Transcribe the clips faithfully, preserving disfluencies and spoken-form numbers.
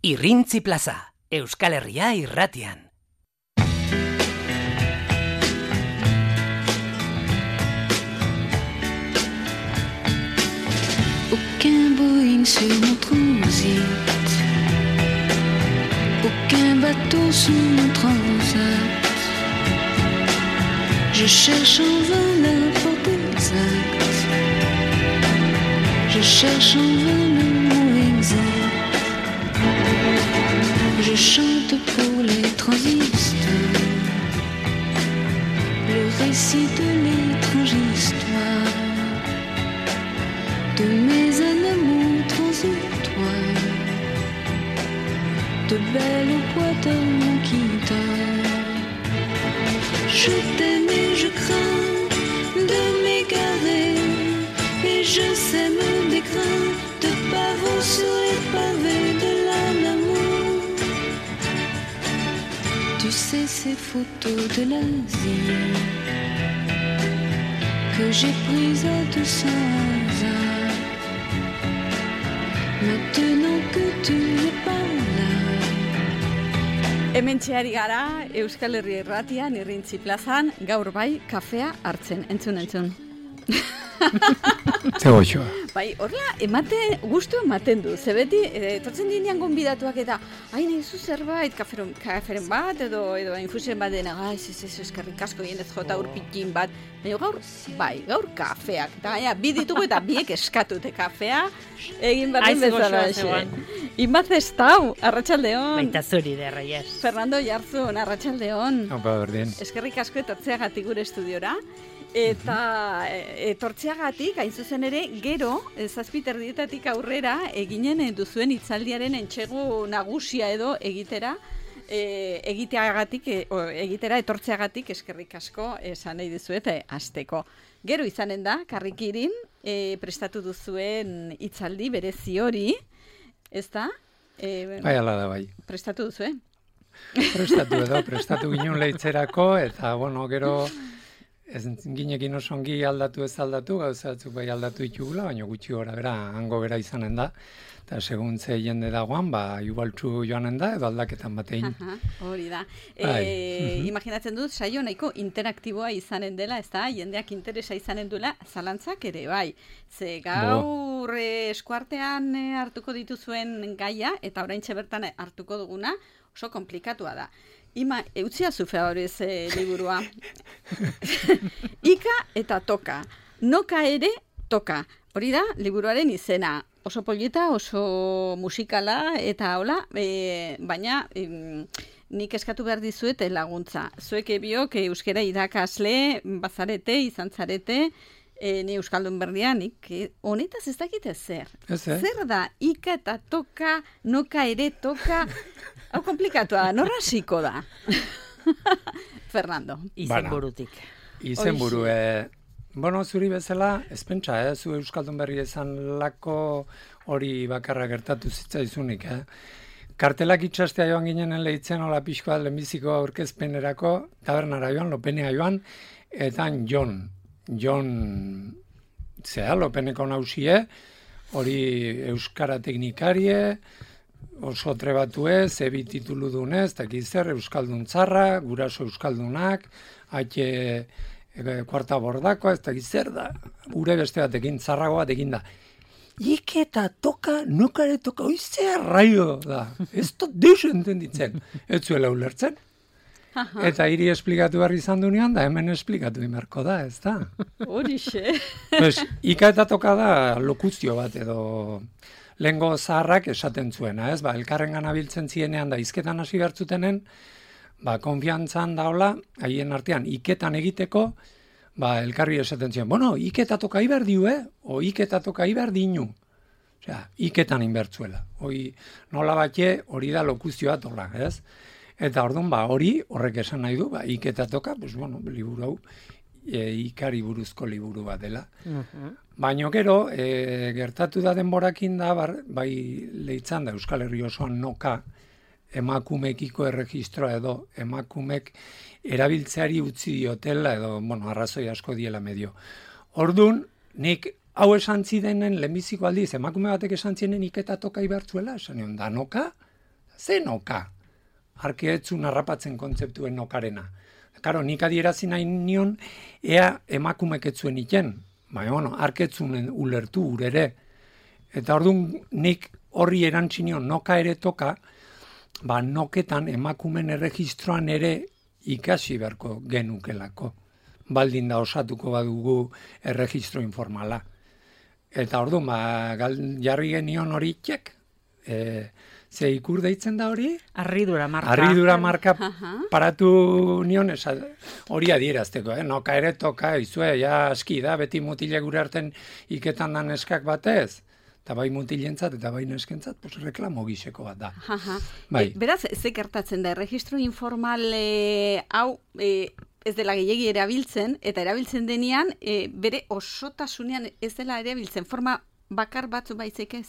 Irrintzi plaza, Euskal Herria irratian. Aucun Boeing sur mon transit, aucun bateau sous mon transat. Je cherche en vain la porte exacte, je cherche en vain le mot exact. Je chante pour les transistors, le récit de l'étrange histoire de mes amours transitoires, de belles boîtes à mon guitare. Je t'aime et je crains de m'égarer, et je sème des grains de pavot sur les pavés de l'amour. Tu sais ces photos de l'Asie que j'ai prises à deux cents hasards. Maintenant que tu n'es pas là. Hemen txeari gara, Euskal Herria irratian, Irrintzi plazan, gaur bai, kafea hartzen, entzun, entzun. Zegoixoa. Bai, horrela, emate, gustu ematen du. Ze beti, etortzen dinean gonbidatuak eta, hain egizu zerbait, kaferen, kaferen bat, edo, edo infusen bat dena, ez, ez, ez, eskerrik asko jenez jota urpikin bat. Baina gaur, bai, gaur kafeak. Eta gaina, bi ditugu eta biek eskatute kafea, egin berdin bezala. Inbaz ez tau, arratsaldeon. Baita zuri de Reyes. Fernando Jarzun, arratsaldeon. Opa, berdin. Eskerrik asko etortzeagatik gure estudiora. Eta etortzeagatik, hain zuzen ere, gero, zazpiterdietatik aurrera, eginen duzuen hitzaldiaren entsegu nagusia edo egitera, e, egiteagatik, e, o, egitera etortzeagatik eskerrik asko esan nahi dizuet hasteko. Gero izanen da, Karrikirin, e, prestatu duzuen hitzaldi berezi hori, ez da? E, bai, ala da, bai. Prestatu duzuen? Prestatu edo, prestatu ginen lehitzerako, eta, bueno, gero... Ez ginekin oso ongi aldatu ez aldatu, gauza batzuk bai aldatu ditugula, baina gutxi gora bera, hango bera izanen da. Eta segun ze jende dagoan, ba, igualtzu joanen da, edo aldaketan batein. Hori da. E, imaginatzen dut, saio nahiko interaktiboa izanen dela, ez da, jendeak interesa izanen duela, zalantzak ere, bai. Ze gaur e, eskuartean e, hartuko dituzuen gaia, eta oraintxe bertan hartuko duguna, oso komplikatua da. Ima, eutzia zufea hori ez e, liburua. Ika eta toka. Noka ere toka. Hori da, liburuaren izena. Oso polita, oso musikala, eta hola, e, baina e, nik eskatu behar dizuet laguntza. Zuek biok euskera irakasle, bazarete, izan zarete, e, ni euskaldun berdian, nik honetaz ez dakite zer. Ez, eh? Zer da, ika eta toka, noka ere toka... Hau komplikatua, norra hasiko da? Fernando. Izen burutik. Izen buru, eh, bueno, zuri bezala, ez pentsa, eh, zu euskaldun berri esan lako hori bakarra gertatu zitzaizunik, eh? Kartelak itxastea joan ginen lehitzen, hola pixkoa lehenbiziko aurkezpenerako, tabernara joan, lopenea joan, eta Jon, Jon, zea, lopeneko nausie, hori euskara teknikarie, oso trebatu ez, ebi titulu dunez, eta zer, euskaldun txarra, guraso euskaldunak, haitxe e, kuarta bordakoa, ez da zer da, gure beste batekin, txarrago batekin da. Ike eta toka, nokare toka, oizea raio da, ez dut deus entenditzen, ez zuela ulertzen. Eta hiri esplikatu behar izan dunean, da hemen esplikatu imerko da, ez da? Horixe. Pues, ika eta toka da lokuzio bat edo... Lehengo zaharrak esaten zuena, ez? Ba, elkarren ganabiltzen zienean da izketan hasi bertzutenen, ba, konfiantzan daola, haien artean, iketan egiteko, ba, elkarri esaten zien, bueno, iketa toka iber diu, eh? O iketa toka iber dinu. Osea, iketan inbertzuela. Hoi, nola batxe, hori da lokuzioa tola, ez? Eta orduan, ba, hori, horrek esan nahi du, ba, iketa toka, pues, bueno, liburu hau, e, ikari buruzko liburu bat dela. Uh-huh. Baina gero, e, gertatu da denborakin da, bar, bai lehitzan da Euskal Herri osoan noka, emakumekiko erregistroa edo emakumek erabiltzeari utzi diotela edo, bueno, arrazoi asko diela medio. Ordun, nik hau esan zidenen lehenbiziko aldiz, emakume batek esan zienen iketa toka ibertzuela, esan nion, da noka, ze noka? Arkeetzun harrapatzen kontzeptuen nokarena. Karo, nik adierazi nahi nion, ea emakumek etzuen iten, baina, bueno, arketzunen ulertu urere. Eta orduan nik horri erantzinion noka ere toka, ba noketan emakumen erregistroan ere ikasi beharko genukelako. Baldin da osatuko badugu erregistro informala. Eta orduan, ba, gal, jarri genion hori txek, e, ze ikur deitzen da hori? Arridura marka. Arridura marka paratu nion, esa, hori adierazteko, eh? Noka ere toka, izue, ja aski da, beti mutile gure arten iketan da neskak batez. Eta bai mutilentzat eta bai neskentzat, pues reklamo giseko bat da. Bai. E, beraz, ze gertatzen da, erregistro informal e, hau e, ez dela gehiegi erabiltzen, eta erabiltzen denean, e, bere osotasunean ez dela erabiltzen, forma bakar batzu baizik ez?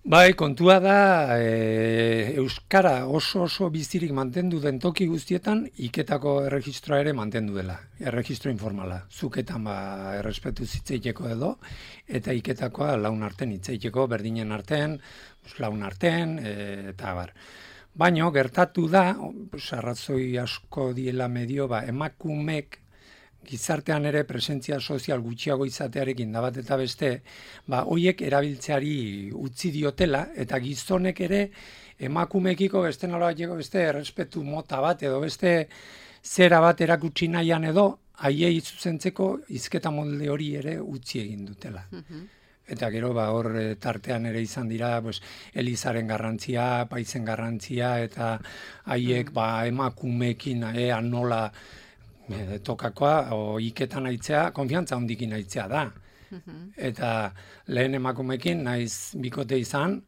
Bai, kontua da, e, Euskara oso oso bizirik mantendu den toki guztietan, iketako erregistroa ere mantendu dela, erregistro informala. Zuketan ba, errespetu zitzeiteko edo, eta iketakoa laun arten hitzeiteko, berdinen arten, laun arten, e, eta bar. Baina, gertatu da, arrazoi asko diela medio, ba, emakumek, gizartean ere presentzia sozial gutxiago izatearekin da bat eta beste, ba, hoiek erabiltzeari utzi diotela, eta gizonek ere emakumekiko beste nola bateko beste errespetu mota bat, edo beste zera bat erakutsi nahian edo, haiei zuzentzeko hizketa molde hori ere utzi egin dutela. Eta gero, ba, hor tartean ere izan dira, pues, Elizaren garrantzia, paizen garrantzia, eta haiek ba, emakumekin ea nola E, tokakoa, o iketan aitzea, konfiantza hondikin aitzea da. Eta lehen emakumekin naiz bikote izan,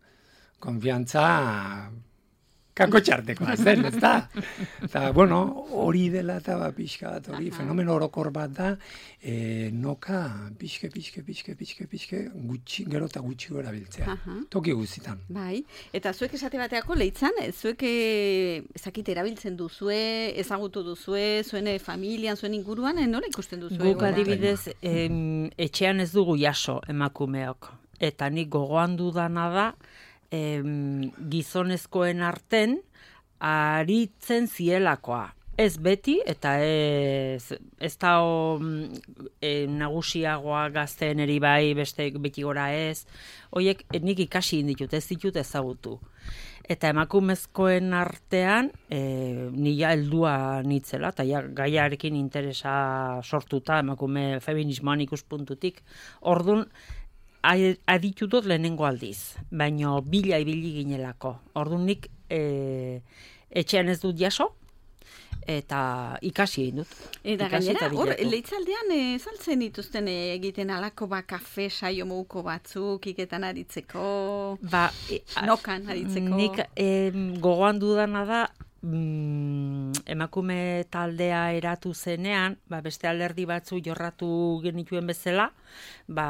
konfiantza kako txartekoa zen, ez da? Eta, bueno, hori dela eta ba, pixka bat, hori fenomeno orokor bat da, e, noka pixke, pixke, pixke, pixke, pixke, gutxi, gero eta gutxi gora biltzea. Toki guztitan. Bai, eta zuek esate bateako lehitzan, zuek ezakite erabiltzen duzue, ezagutu duzue, zuen familian, zuen inguruan, nola ikusten duzue? Guk adibidez, em, etxean ez dugu jaso emakumeok. Eta nik gogoan dudana da, Em, gizonezkoen arten aritzen zielakoa. Ez beti, eta ez, ez da o, e, nagusiagoa gazteen eri bai, beste beti gora ez. Hoiek nik ikasi inditut, ez ditut ezagutu. Eta emakumezkoen artean, e, nila heldua nitzela, eta ja, gaiarekin interesa sortuta, emakume feminismoan ikuspuntutik. Orduan, aditutot lehenengo aldiz, baino bila ibili ginelako. Orduan nik e, etxean ez dut jaso, eta ikasi egin dut. Eta gainera, hor, lehitzaldean e, saltzen dituzten egiten alako ba kafe saio moguko batzuk, iketan aritzeko, ba, e, nokan aritzeko. Nik e, gogoan dudana da, mm, emakume taldea eratu zenean, ba, beste alderdi batzu jorratu genituen bezala, ba,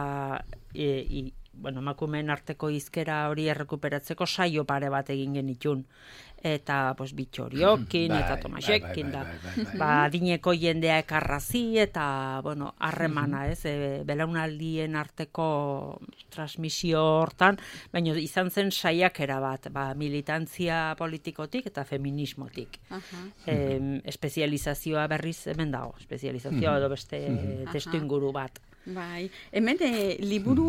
e, i, bueno, emakumeen arteko hizkera hori errekuperatzeko saio pare bat egin genitun. Eta, pues, bitxoriokin, bai, eta tomaxekin, bai, bai, bai, bai, bai. ba, dineko jendea ekarrazi, eta, bueno, harremana, ez, e, belaunaldien arteko transmisio hortan, baina izan zen saiakera bat, ba, militantzia politikotik eta feminismotik. E, espezializazioa berriz hemen dago, espezializazioa edo beste testu inguru bat. Bai, hemen e, liburu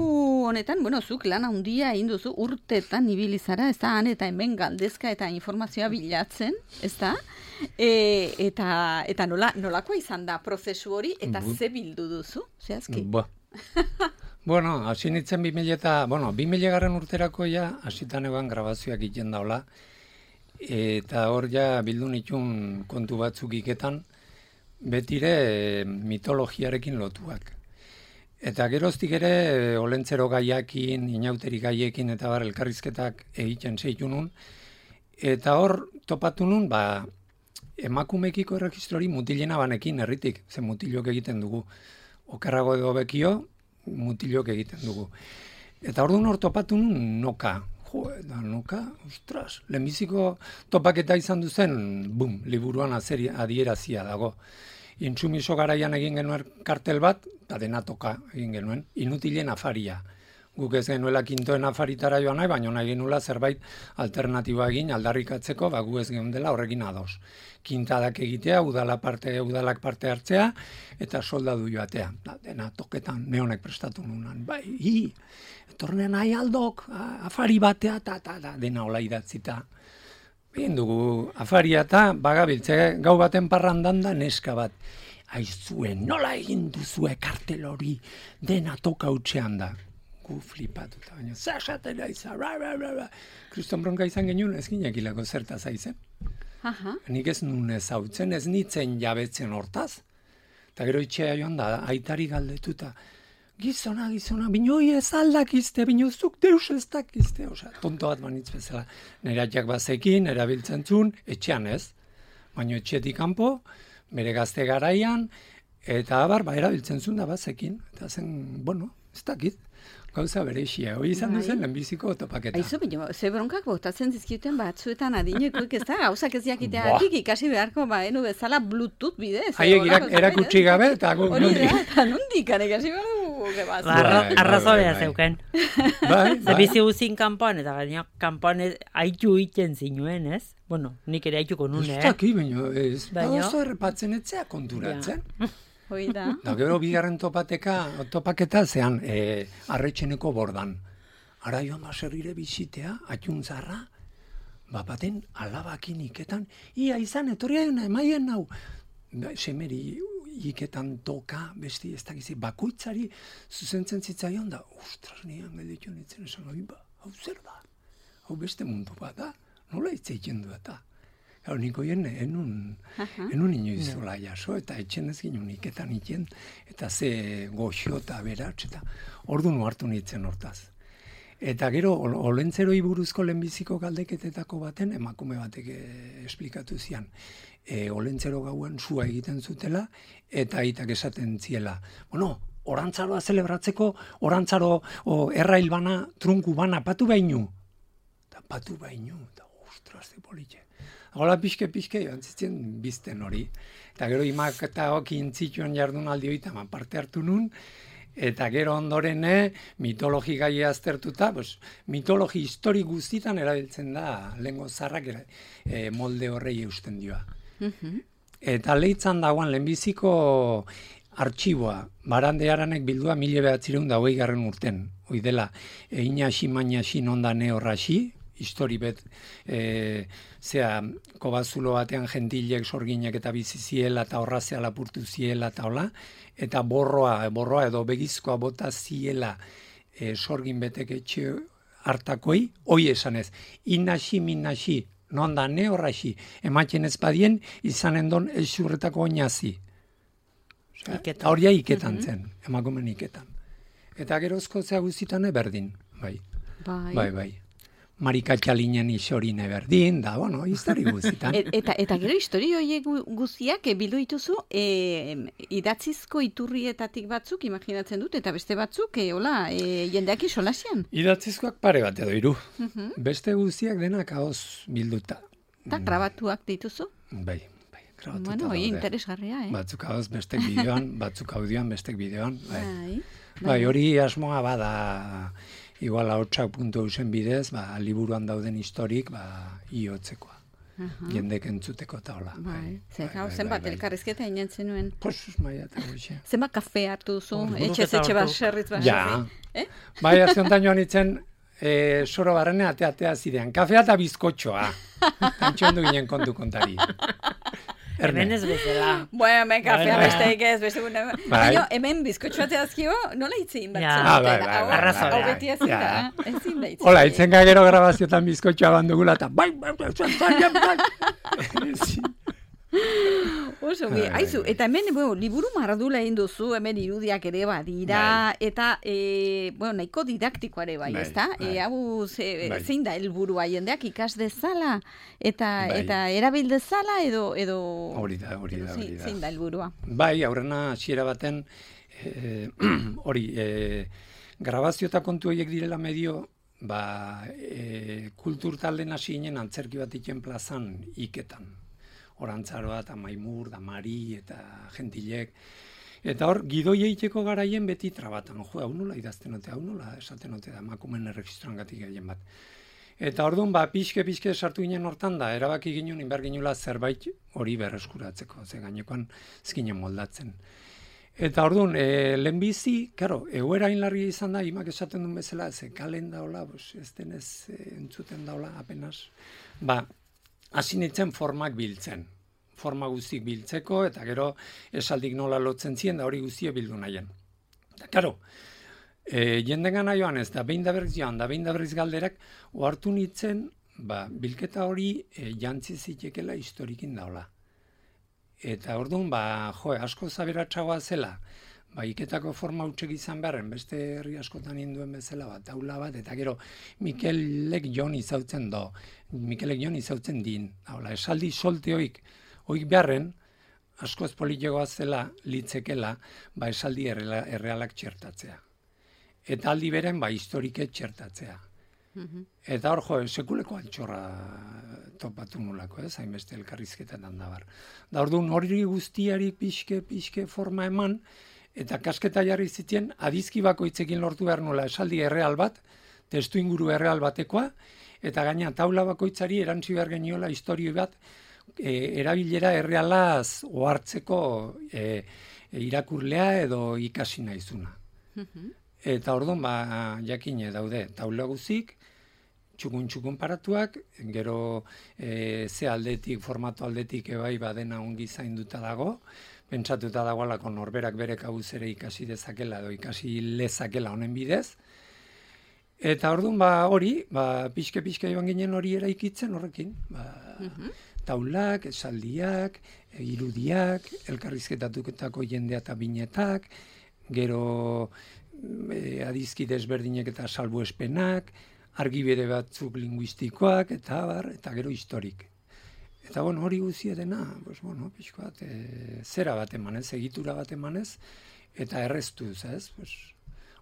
honetan, bueno, zuk lan handia egin duzu urtetan ibili zara, ez da, han eta hemen galdezka eta informazioa bilatzen, ez da? E, eta eta nola, nolakoa izan da prozesu hori, eta ze bildu duzu, zehazki? Ba. Bueno, hasi nintzen bi mila eta, bueno, bi mila garren urterako ja, hasitan egon grabazioak egiten daula, eta hor ja bildu nituen kontu batzuk iketan, betire mitologiarekin lotuak. Eta geroztik ere, olentzero gaiakin, inauteri gaiekin eta bar elkarrizketak egiten zeitu nun. Eta hor topatu nun, ba, emakumekiko erregistrori mutilena banekin herritik, ze mutilok egiten dugu. Okerrago edo bekio, mutilok egiten dugu. Eta orduan hor topatu nun noka. Jo, da noka, ostras, lehenbiziko topaketa izan duzen, bum, liburuan azeri adierazia dago. Intsumiso garaian egin genuen kartel bat, eta dena toka egin genuen, inutilen afaria. Guk ez genuela kintoen afaritara joan nahi, baina nahi genuela zerbait alternatiboa egin aldarrikatzeko, ba gu ez geundela horrekin ados. Kintadak egitea, udala parte, udalak parte hartzea, eta soldadu joatea. Da, dena toketan neonek prestatu nunan. Bai, hi, etornen nahi aldok, afari batea, ta, ta, ta, dena hola idatzita. Egin dugu afaria eta bagabiltze gau baten parrandan da neska bat. Aizue, nola egin duzue kartel hori dena toka utxean da. Gu flipatuta, baina zaxatela izan, ra, ra, ra, ra. Kriston bronka izan genuen ez ginekilako zertaz aizen. Aha. Nik ez nun ez hautzen, ez nitzen jabetzen hortaz. Eta gero itxea joan da, aitari galdetuta. Gizona, gizona, binoi ez aldakizte, binozuk deus ez dakizte. Osa, tonto bat banitz bezala. Neratiak bazekin, erabiltzen zuen, etxean ez. Baina etxetik kanpo, bere gazte garaian, eta abar, ba, erabiltzen zuen da bazekin. Eta zen, bueno, ez dakit. Gauza berexia, hori izan duzen lehenbiziko topaketa. Aizu, bino, ze bronkak botatzen dizkiten batzuetan adinekoik ez da, gauzak ez jakiteatik ikasi beharko, ba, enu bezala Bluetooth bidez. Haiek erakutsi gabe, eta gu hori da, eta nondikan ikasi behar dugu, gebaz. Arrazolea zeuken. Bai, bai. Bizi guzin kanpoan, eta gaina kanpoan haitu iten zinuen, ez? Bueno, nik ere haituko nune, eh? Ez daki, baina ez, oso errepatzen etzea konturatzen. Hoi da. Da, gero bigarren topateka, topaketa zean, e, arretxeneko bordan. Ara joan baserrire bizitea, atxuntzarra, bapaten alabakin iketan, ia izan, etorria jona, emaien nau. Ba, semeri iketan toka, besti ez dakizi, bakoitzari zuzentzen zitzaion da, ostras, nian gelditu nintzen esan, hoi ba, hau zer da, hau beste mundu bat da, nola itzeiten du eta. Hau niko jen, enun, enun inoiz zola jaso, eta etxen ez ginen iketan iten, eta ze goxo eta beratx, eta ordu nu hartu nintzen hortaz. Eta gero, olentzeroi buruzko lehenbiziko galdeketetako baten, emakume batek esplikatu zian. E, olentzero gauen sua egiten zutela, eta aitak esaten ziela. Bueno, orantzaroa zelebratzeko, orantzaro o, errail bana, trunku bana, patu bainu. Eta patu bainu, eta ostras, de politxe. Hola pixke-pixke joan zitzen bizten hori. Eta gero imak eta okin zituen jardun aldi hoita parte hartu nun, eta gero ondoren mitologi gai aztertuta, pues, mitologi histori guztitan erabiltzen da lengo zarrak e, molde horrei eusten dioa. Eta lehitzan dagoan lehenbiziko artxiboa, barande haranek bildua mila behatzireun da hogei garren urten. Hoi dela, egin hasi maina hasi nondane horraxi, histori bet, e, zea, kobazulo batean gentilek sorginak eta bizi ziela eta horrazea lapurtu ziela eta hola, eta borroa, borroa edo begizkoa bota ziela e, sorgin betek etxe hartakoi, hoi esanez, inasi minasi, nonda ne horraxi, ematen ez badien, izanen don elxurretako oinazi. Horia iketan zen, emakumen iketan. Eta gerozko zea guztitan eberdin, bai, Bai, bai, bai. Marikatxalinen isorine berdin, da, bueno, histori guztitan. Et, eta, eta gero historio horiek gu- guztiak e, bildu dituzu e, idatzizko iturrietatik batzuk, imaginatzen dut, eta beste batzuk, e, hola, e, jendeak isolasian. Idatzizkoak pare bat edo hiru. Beste guztiak denak ahoz bilduta. Eta grabatuak dituzu? Bai, bai, grabatuta Bueno, hori daude. interesgarria, eh? Batzuk ahoz, bestek bideoan, batzuk audioan, bestek bideoan. Bai, Bai. bai hori asmoa bada, igual ahotsak puntu eusen bidez, ba, liburuan dauden historik, ba, iotzekoa. Jendek entzuteko eta hola. Bai, ze gau, zenbat elkarrizketa inen zenuen. Pues, maia eta goxe. Zenbat kafe hartu duzu, Ordu etxez eta etxe ordu. baserritz Ja. baserri. Eh? Bai, aziontan joan itzen, e, soro barrene atea-atea zidean. Kafea eta bizkotxoa. Tantxon du ginen kontu kontari. Hemen ez bezala. Bueno, hemen kafea Bai, bai. besteik ez, beste gune. Bai. Baina hemen bizkotxoa teazkio, nola hitzein bat Ja. zen? Ah, bai, bai, bai, Arrazoia. Hau beti ezin Ja. da, ezin da hitzein. Hola, itzen gero grabaziotan bizkotxoa bandugula eta bai, bai, bai, bai, bai, bai, bai. Oso, bi, Ai, aizu, bai. eta hemen, bueno, liburu mardula egin duzu, hemen irudiak ere badira, eta, e, bueno, nahiko didaktikoa ere bai, Bai, ezta? bai. E, hau, ze, Bai. zein da helburua jendeak ikas dezala, eta, Bai. eta erabil dezala, edo, edo... Hori da, hori da, edo hori zein- da. Zein da helburua? Bai, aurrena hasiera baten, eh, hori, eh, grabazio eta kontu horiek direla medio, ba, eh, kultur talden hasi ginen antzerki bat iken plazan iketan. Orantzaroa eta Maimur, da Mari eta Gentilek. Eta hor, gidoi egiteko garaien beti trabatan. Jo, hau nola idazten ote, hau nola esaten ote da, emakumeen erregistroan gatik gehien bat. Eta orduan, ba, pixke-pixke sartu ginen hortan da, erabaki ginen, inbar ginula zerbait hori berreskuratzeko, ze gainekoan ezkinen moldatzen. Eta orduan, e, lehenbizi, karo, egoera inlarria izan da, imak esaten duen bezala, ze kalen daula, bos, ez denez e, entzuten daula, apenas. Ba, hasi nintzen formak biltzen. Forma guztik biltzeko, eta gero esaldik nola lotzen ziren, da hori guztia bildu nahien. Eta, karo, e, jendengana joan ez, da behin da berriz joan, da behin da berriz galderak, ohartu nintzen, ba, bilketa hori e, jantzi zitekela historikin daula. Eta orduan, ba, jo, asko zaberatxagoa zela, ba, iketako forma hutsek izan beharren, beste herri askotan induen bezala, ba, taula bat, eta gero Mikelek Jon izautzen do, Mikelek Jon izautzen din, haula, esaldi solte hoik, hoik beharren, askoz politikoa zela, litzekela, ba, esaldi erreala, errealak txertatzea. Eta aldi beren, ba, historike txertatzea. Eta hor, jo, sekuleko altxorra topatu nulako, ez, hainbeste elkarrizketan da bar. Da orduan hori guztiari pixke, pixke forma eman, eta kasketa jarri zitien, adizki bakoitzekin lortu behar nula esaldi erreal bat, testu inguru erreal batekoa, eta gaina taula bakoitzari erantzi behar geniola historio bat, e, erabilera errealaz ohartzeko e, e, irakurlea edo ikasi naizuna. Eta orduan, ba, jakine daude, taula guzik, txukun-txukun paratuak, gero e, ze aldetik, formatu aldetik ebai badena ongi zainduta dago, pentsatuta dagoelako norberak bere kabuz ere ikasi dezakela edo ikasi lezakela honen bidez. Eta orduan, ba, hori, ba, pixke-pixke joan ginen hori eraikitzen horrekin. Ba, taulak, esaldiak, irudiak, elkarrizketatutako jendea eta binetak, gero e, adizki desberdinek eta salbuespenak, argibide batzuk linguistikoak, eta bar, eta gero historik. Eta bueno, hori guzia dena, pues, bueno, pixko bat, e, zera bat emanez, egitura bat emanez, eta erreztuz, ez? Pues,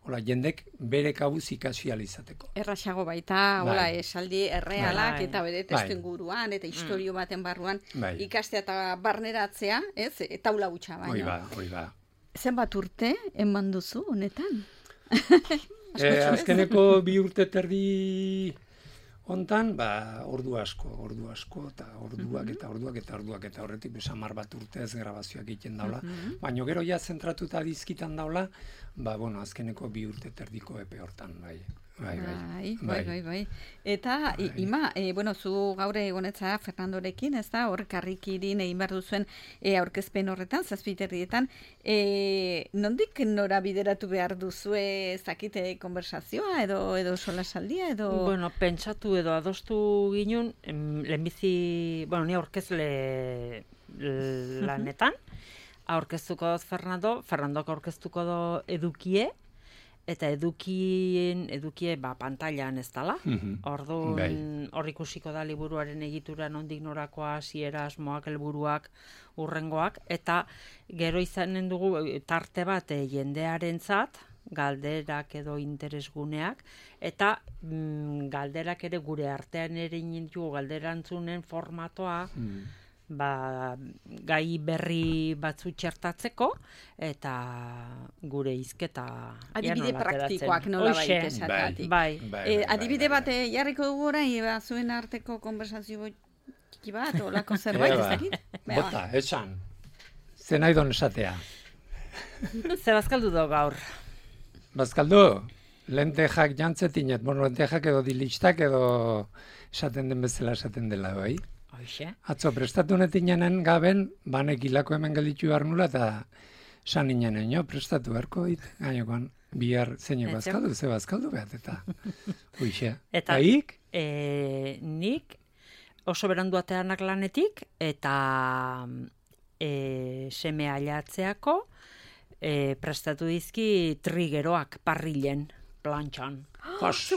hola, jendek bere kabuz ikasi alizateko. Erraxago baita, hola, Bai. esaldi errealak Bai. eta bere testu inguruan, eta historio baten barruan Bai. ikastea eta barneratzea, ez? E, taula gutxa baina. Hoi ba, hoi ba. Zenbat urte eman duzu honetan? E, azkeneko bi urte terdi hontan, ba, ordu asko, ordu asko, eta orduak, eta orduak, eta orduak, eta horretik besamar bat urtez grabazioak egiten daula. Baina gero ja zentratuta dizkitan daula, ba, bueno, azkeneko bi urte terdiko epe hortan, bai. Bai, bai, bai, bai, bai. Eta, bai. Ima, e, bueno, zu gaur egonetza Fernandorekin, ez da, hor karrikirin egin behar duzuen e, aurkezpen horretan, zazpiterrietan, e, nondik nora bideratu behar duzue zakite konversazioa, edo, edo solasaldia, edo... Bueno, pentsatu edo adostu ginen, lehenbizi, bueno, ni aurkezle lanetan, aurkeztuko doz Fernando, Fernandok aurkeztuko do edukie, eta edukien, edukie ba, pantailan ez dala. Orduan, hor ikusiko da liburuaren egitura nondik norakoa, hasiera, asmoak, helburuak, urrengoak, eta gero izanen dugu tarte bat e, jendearentzat, galderak edo interesguneak, eta mm, galderak ere gure artean ere inentugu galderantzunen formatoa, ba, gai berri batzu txertatzeko, eta gure hizketa adibide praktikoak nola baita esatatik. Bai. Bai, E, bai, adibide bai, bat e, jarriko dugu orain, eba, zuen arteko konversazio txiki bat, olako zerbait, ez dakit? Bota, esan. Ze nahi don esatea. Ze bazkaldu do gaur? Bazkaldu, lentejak jantzetinet, bueno, lentejak edo dilistak edo esaten den bezala esaten dela, bai? Hoxe. Atzo, prestatu netinen gaben, banek hilako hemen gelditu behar nula, eta san inenen, jo, prestatu beharko dit, gainokoan, bihar zeinek bazkaldu, ze bazkaldu behat, eta huixe. Eta Baik? E, nik oso berandu ateanak lanetik, eta e, seme ailatzeako e, prestatu dizki trigeroak parrilen, plantxan. Jos,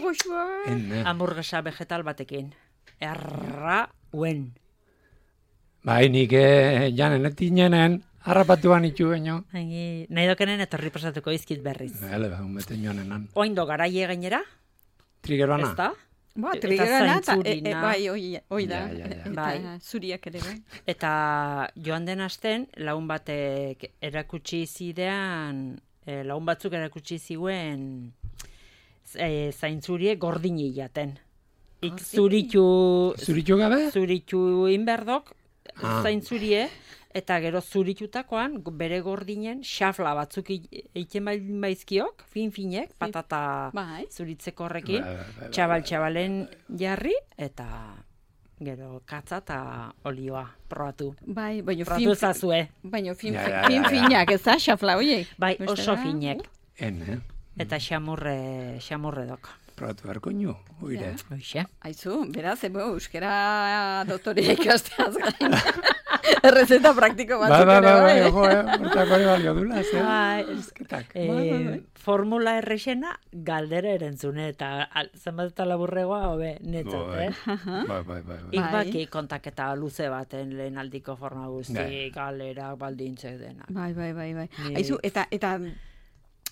enne. Hamburguesa vegetal batekin. Erra uen. Bai, nik eh, janen etinenen, harrapatuan itu baino. Nahi dokenen etorri pasatuko izkit berriz. Bale, ba, unbeten joanenan. Oindo garaie gainera, Trigeroana? ez da? Ba, eta triggerana, eta, e, e, zaintzurina. bai, oi, oi da, Ja, ja, ja. eta Bai. zuriak ere, bai. Eta joan den asten, lagun batek erakutsi zidean, eh, lagun batzuk erakutsi ziguen eh, zaintzurie gordini jaten. Ik zuritu, Zuritu gabe? zuritu inberdok, Ah. zaintzurie, eta gero zuritutakoan bere gordinen xafla batzuk i- egiten baldin baizkiok, fin-finek, patata Bai. zuritzeko horrekin, Bai, bai, bai, bai. txabal-txabalen jarri, eta gero katza eta olioa probatu. Bai, baina Probatu fin, ezazue. baina fin, Ja, ja, ja, fin ja. finak, ez da, xafla hoiek? Bai, Bestela, oso finek. En, eh? Eta xamurre, xamurre dok. Probatu beharko inu, oire. Hoxe. Aizu, beraz, ebo, euskera doktorea ikasteaz gain. Errezeta praktiko Ba, batzuk ba, ere, ba, ba, bai. ojo, eh? Hortako ere balio dula, ze? Bai, Esketak. Eh, Bai, bai, bai. formula errexena galdera erantzune eta al- zenbat eta laburregoa hobe netzat, Bai. eh? Bai, bai, bai, bai. Ik Bai. baki kontaketa luze baten lehen aldiko forma guzti, Bai. galerak, baldintzek denak. Bai, bai, bai, bai. Ni- Aizu, eta, eta,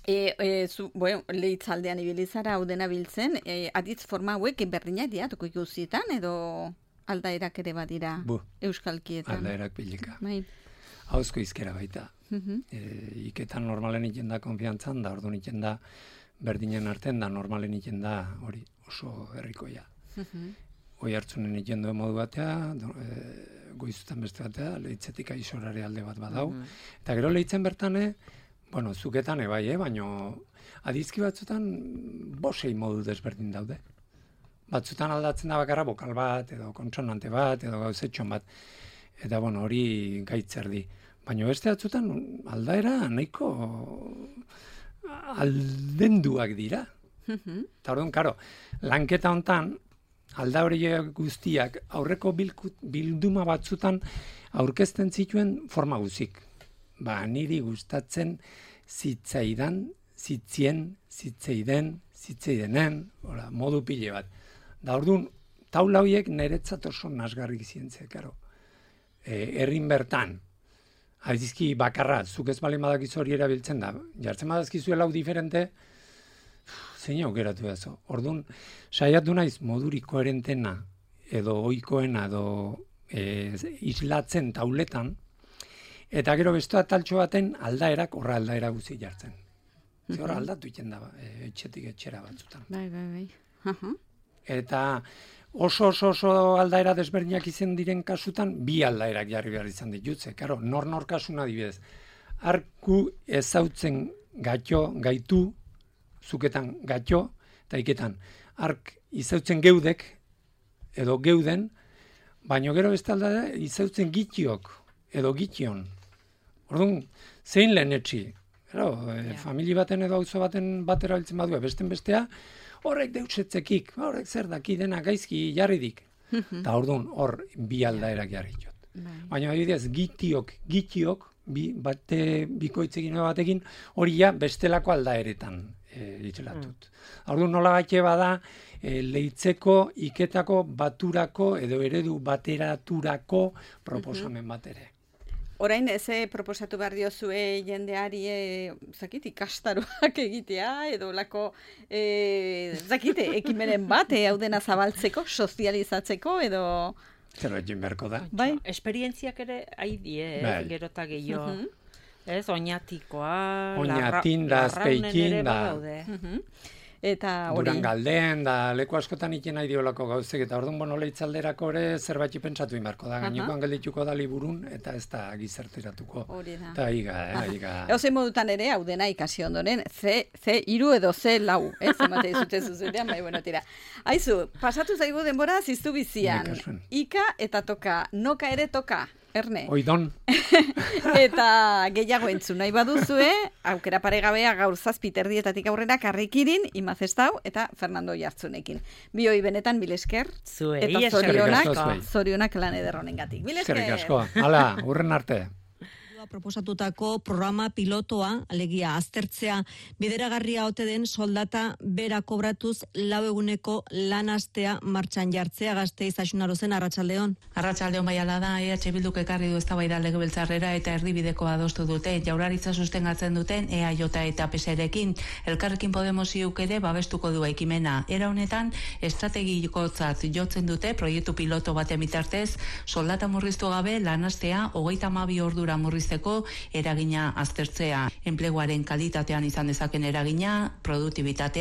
e, e, zu, bueno, lehitzaldean ibilizara hau dena biltzen, e, aditz forma hauek berdinak dira, toko ikusietan, edo aldaerak ere badira Bu, euskalkietan. aldaerak pilika. Bai. Hauzko izkera baita. Mhm. E, iketan normalen iten da konfiantzan, da orduan iten da berdinen arten, da normalen iten da hori oso herrikoia. Mhm. Hoi hartzunen iten duen modu batea, do, e, goizutan beste batea, lehitzetik aizorare alde bat badau. Eta gero lehitzen bertane, bueno, zuketan ebai, eh? Baina adizki batzutan bosei modu desberdin daude. Batzutan aldatzen da bakarra bokal bat, edo kontsonante bat, edo gauzetxon bat. Eta, bueno, hori gaitzerdi. Baina beste batzutan aldaera nahiko aldenduak dira. Mhm. Eta orduan, karo, lanketa hontan, alda horiek guztiak aurreko bilku, bilduma batzutan aurkezten zituen forma guzik. Ba, niri gustatzen zitzaidan, zitzien, zitzeiden, zitzeidenen, ora, modu pile bat. Da orduan, taula horiek niretzat oso nasgarrik zientzia, karo. E, errin bertan, adizki bakarra, zuk ez balen badakizu hori erabiltzen da, jartzen badazkizu lau diferente, zein aukeratu dazo. Orduan, saiatu naiz moduri koherentena edo ohikoena edo e, islatzen tauletan, eta gero beste taltxo baten aldaerak horra aldaera guzi jartzen. Ze horra aldatu iten da, e, etxetik etxera batzutan. Bai, bai, bai. Aha. Eta oso oso oso aldaera desberdinak izan diren kasutan, bi aldaerak jarri behar izan ditutze. Karo, nor nor kasuna adibidez. Arku ezautzen gatxo, gaitu, zuketan gatxo, eta iketan. Ark izautzen geudek, edo geuden, baino gero beste aldera izautzen gitiok, edo gition. Orduan, zein lehen etxi? Gero, e, famili baten edo auzo baten batera biltzen badue, besten bestea, horrek deutsetzekik, horrek zer daki dena gaizki jarridik. Eta orduan, hor bi aldaerak jarri jot. Bai. Baina adibidez, gitiok, gitiok, bi, bate, bikoitzekin edo batekin, hori ja bestelako aldaeretan e, itxelatut. Orduan nola gaite bada, e, lehitzeko, iketako, baturako, edo eredu bateraturako proposamen bat ere. Orain, eze proposatu behar diozue jendeari, e, zakit, ikastaroak egitea, edo lako, e, zakit, ekimenen bat, e, hau dena zabaltzeko, sozializatzeko, edo... Zer egin beharko da. Bai. Esperientziak ere haidie, ez, Bai. gero eta gehiago. Mhm. Ez, oinatikoa, Oñatin da, larra- Azpeikin larraunen ere da. badaude. Mhm. Eta hori... Durangalden, da leku askotan ikin nahi diolako gauzek, eta orduan bono lehitzalderako ere zerbait pentsatu inbarko da. Gainikoan geldituko da liburun, eta ez da gizarteratuko. Hori da. Eta higa, eh, higa. Eozein modutan ere, hau dena ikasi ondoren, ze, ze iru edo ze lau, ez, emate izute zuzenean, bai, bueno, tira. Aizu, pasatu zaigu denbora ziztu bizian. Nik kasuen. Ika eta toka, noka ere toka, erne. Oidon, Eta gehiago entzun nahi baduzue, aukera paregabea gaur zazpi terdietatik aurrera Karrikirin, Imazestau eta Fernando Jartzunekin. Bi hoi benetan mil esker, Zuei, eta eskerrik zorionak, asko zuei. zorionak lan ederronengatik. Mil esker. eskerrik asko. Hala, urren arte. Proposatutako programa pilotoa, alegia aztertzea, bideragarria ote den soldata bera kobratuz lau eguneko lan astea martxan jartzea. Gasteiz Axunarozen, arratsaldeon. Arratsaldeon bai ala da, E H Bilduk ekarri du eztabaida legebiltzarrera eta erdibideko adostu dute. Jaurlaritza sustengatzen duten E A J eta P S rekin, Elkarrekin Podemos iuk ere babestuko du ekimena. Era honetan, estrategikotzat jotzen dute proiektu piloto baten bitartez, soldata murriztu gabe lan astea hogeita hamabi ordura murrizteko eragina aztertzea. Enpleguaren kalitatean izan dezaken eragina, produktibitatea